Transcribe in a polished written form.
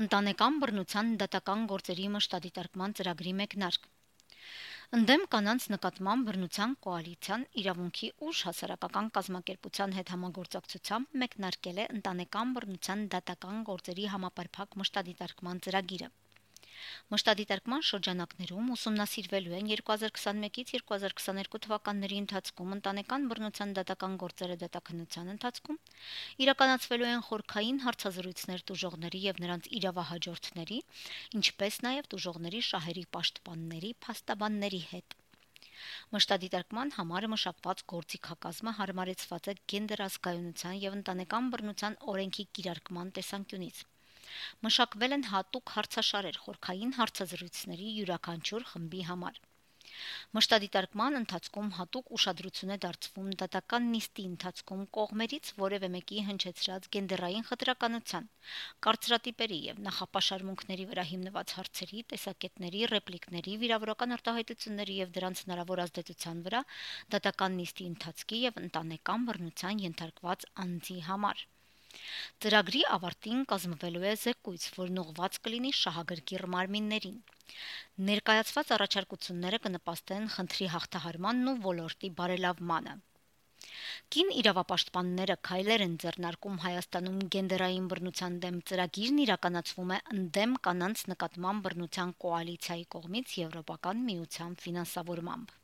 Ընտանեկան բռնության դատական գործերի մշտադիտարկման ծրագրի մեկնարկ։ Ընդդեմ կանանց նկատմամբ բռնության կոալիցիան իրավունքի ուժ հասարակական կազմակերպության հետ համագործակցությամբ մեկնարկել է ընտանեկան բռնության դատական գործերի համապարփակ մշտադիտարկման ծրագիրը։ Մշտադիտարկման շրջանակներում ուսումնասիրվելու են 2021-ից 2022 թվականների ընթացքում ընտանեկան բռնության դատական գործերը դատաքննության ընթացքում, իրականացվելու են խորքային հարցազրույցներ տուժողների եւ նրանց իրավահաջորդների, ինչպես նաեւ տուժողների շահերի պաշտպանների, փաստաբանների հետ։ Մշտադիտարկման համար մշակված գործիքակազմը հարմարեցված է գենդեր ազգայունության եւ ընտանեկան բռնության օրենքի կիրարկման տեսանկյունից։ Մշակվել են հատուկ հարցաշարեր խորքային հարցազրույցների յուրաքանչյուր խմբի համար։ Մշտադիտարկման ընթացքում հատուկ ուշադրություն է դարձվում դատական նիստի ընթացքում կողմերից որևէ մեկի հնչեցրած գենդերային խտրականության, կարծրատիպերի եւ նախապաշարմունքների վրա հիմնված հարցերի, տեսակետների, ռեպլիկների, վիրավորական արտահայտությունների եւ դրանց հնարավոր ազդեցության վրա դատական նիստի ընթացքի եւ ընտանեկան բռնության ենթարկված անձի համար։ Ծրագրի ավարտին կազմվելու է զեկույց, որն ուղղված կլինի շահագրգիռ մարմիններին։ Ներկայացված առաջարկությունները կնպաստեն խնդրի հաղթահարմանն ու ոլորտի բարելավմանը։ Կին իրավապաշտպանները քայլեր են ձեռնարկում Հայաստանում գենդերային բռնության դեմ ծրագիրն իրականացվում է ընդդեմ կանանց նկատմամբ բռնության կոալիցիայի կողմից Եվրոպական միության ֆինանսավորմամբ։